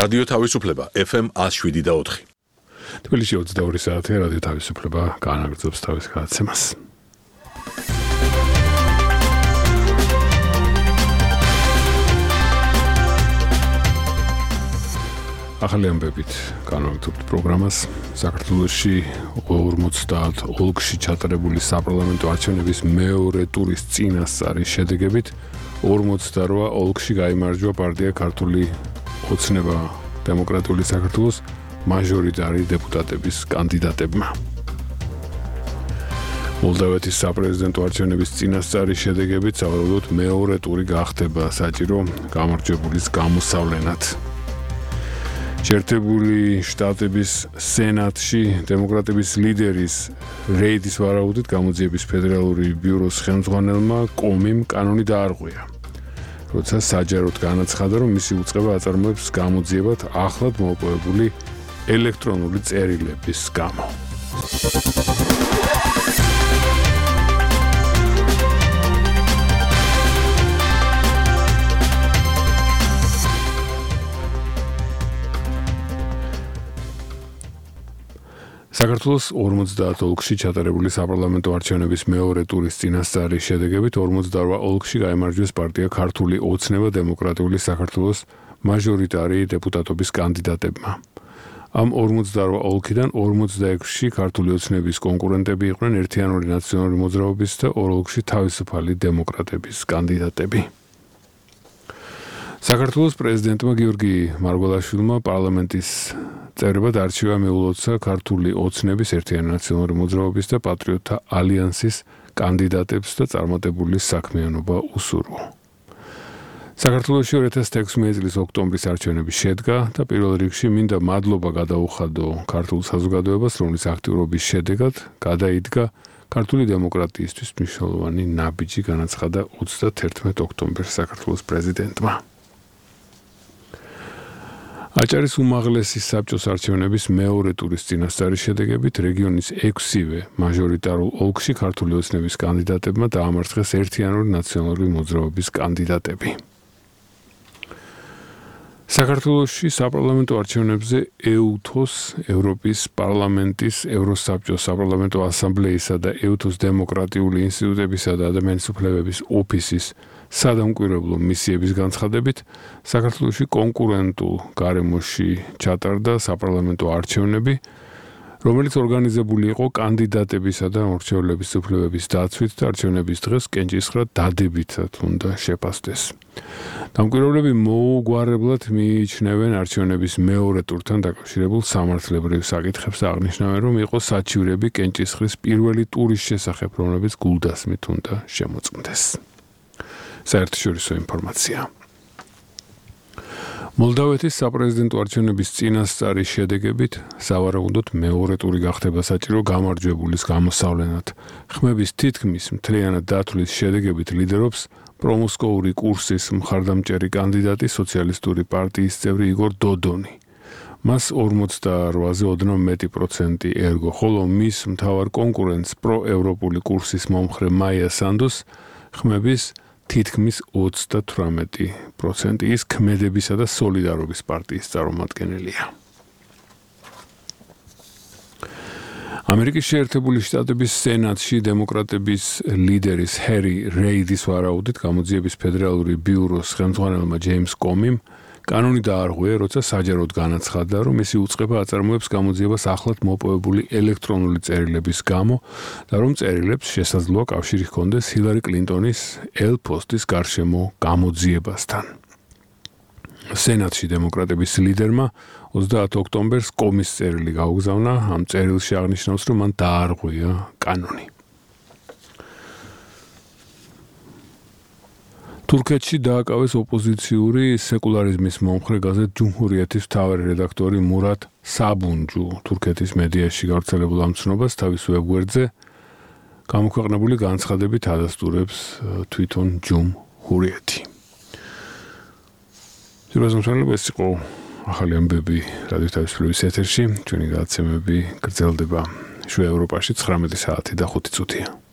რადიო თავისუფლება FM 107.4. თბილისში 22 საათია რადიო თავისუფლება განაგრძობს თავის გადაცემას. ახალი ამბებით განვაგრძობთ პროგრამას. საქართველოში 50 ოლქში ჩატარებული საპარლამენტო არჩევნების მეორე ტურის წინასწარი შედეგებით 48 ოლქში გაიმარჯვა პარტია ქართული ოცნება დემოკრატიული საქართველოს მაჟორიტარი დეპუტატების კანდიდატებმა. მოლდავეთის საპრეზიდენტო არჩევნების წინასწარი შედეგებით სავარაუდოდ მეორე ტური გახდება საჭირო გამარჯვებულის გამოსავლენად. შეერთებული შტატების სენატში დემოკრატების ლიდერის რეიდის ვარაუდით გამოძიების ფედერალური ბიუროს ხელმძღვანელმა კომიმ კანონი დაარღვია. როცა საჯაროდ განაცხადა, რომ მისი უწყება აწარმოებს გამოძიებად ახლად მოპოვებული ელექტრონული წერილების გამო. საქართველოს 50 ოლქში ჩატარებული საპარლამენტო არჩევნების მეორე ტურის წინასწარი შედეგებით 48 ოლქში გაიმარჯვეს პარტია ქართული ოცნება დემოკრატიული საქართველოს მაჟორიტარი დეპუტატობის კანდიდატებმა. ამ 48 ოლქიდან 46-ში ქართული ოცნების კონკურენტები იყვნენ ერთიანული ნაციონალური მოძრაობის და 2 ოლქში თავისუფალი დემოკრატების კანდიდატები. საქართველოს პრეზიდენტმა გიორგი მარგველაშვილმა პარლამენტის წევრებად არჩევა მიულოცა ქართული ოცნების ერთიანი ნაციონალური მოძრაობის და პატრიოტთა ალიანსის კანდიდატებს და წარმატებული საქმიანობა უსურვო. საქართველოში 2016 წლის ოქტომბრის არჩევნები შედგა და პირველ რიგში მინდა მადლობა გადაუხადო ქართულ საზოგადოებას, რომლის აქტიურობის შედეგად გადაიდგა ქართული დემოკრატიისთვის მნიშვნელოვანი ნაბიჯი, განაცხადა 31 ოქტომბერს საქართველოს პრეზიდენტმა. აჭარის უმაღლესი საბჭოს არჩევნების მეორე ტურის წინასწარი შედეგებით რეგიონის 6-ვე მაჟორიტარულ ოლქში ქართული ოცნების კანდიდატებმა დაამარცხეს ერთიანული ნაციონალური მოძრაობის კანდიდატები. საქართველოში საპარლამენტო არჩევნებზე EUTHOS, ევროპის პარლამენტის, ევროსაბჭოს საპარლამენტო ასამბლეისა და EUTHOS დემოკრატიული ინსტიტუტებისა და ადამიანის უფლებების ოფისის სადამკვირვებლო მისიების განცხადებით, საქართველოში კონკურენტულ გარემოში ჩატარდა საპარლამენტო არჩევნები, რომელიც ორგანიზებული იყო კანდიდატებისა და მორჩევლების უფლებების დაცვით და არჩევნების დღეს კენჭისყრა დადებითად უნდა შეფასდეს. დამკვირვებლები მოუგვარებლად მიიჩნევენ არჩევნების მეორე ტურთან დაკავშირებულ სამართლებრივ საკითხებს და აღნიშნავენ, რომ იყო საჩივრები კენჭისყრის პირველი ტურის შესახებ, რომლებიც გულდასმით უნდა შემოწმდეს. საერთაშორისო ინფორმაცია. მოლდავეთის საპრეზიდენტო არჩევნების წინასწარი შედეგებით სავარაუდოდ მეორე ტური გახდება საჭირო გამარჯვებულის გამოსავლენად. ხმების თითქმის მთლიანად დათვლის შედეგებით ლიდერობს პრომოსკოვური კურსის მხარდამჭერი კანდიდატი სოციალისტური პარტიის წევრი იგორ დოდონი. მას 48-ზე ოდნავ მეტი პროცენტი ერგო, ხოლო მის მთავარ კონკურენტს პროევროპული კურსის მომხრე მაია სანდოს ხმების თითქმის 38%. ის ქმედებისა და სოლიდარობის პარტიის წარმომადგენელია. ამერიკის შეერთებული შტატების სენატში დემოკრატების ლიდერის ჰერი რეიდის ვარაუდით გამოძიების ფედერალური ბიუროს ხელმძღვანელმა ჯეიმს კომიმ კანონი დაარღვია, როცა საჯაროდ განაცხადა, რომ მისი უწყება აწარმოებს გამოძიებას ახლად მოპოვებული ელექტრონული წერილების გამო და რომ წერილებს შესაძლოა კავშირი ჰქონდეს ჰილარი კლინტონის ელ-პოსტის გარშემო გამოძიებასთან. სენატში დემოკრატების ლიდერმა 30 ოქტომბერს კომის წერილი გაუგზავნა, ამ წერილში აღნიშნავს, რომ მან დაარღვია კანონი. თურქეთში დააკავეს ოპოზიციური სეკულარიზმის მომხრე გაზეთ ჯუმჰურიეთის მთავარი რედაქტორი მურატ საბუნჯუ. თურქეთის მედიაში გავრცელებულ ამ ცნობას თავის ვებგვერდზე გამოქვეყნებული განცხადებით ადასტურებს თვითონ ჯუმჰურიეთი. ეს იყო ახალი ამბები რადიო თავისუფლების ეთერში. ჩვენი გადაცემები გრძელდება შვე ევროპაში 19 საათი და 5 წუთია.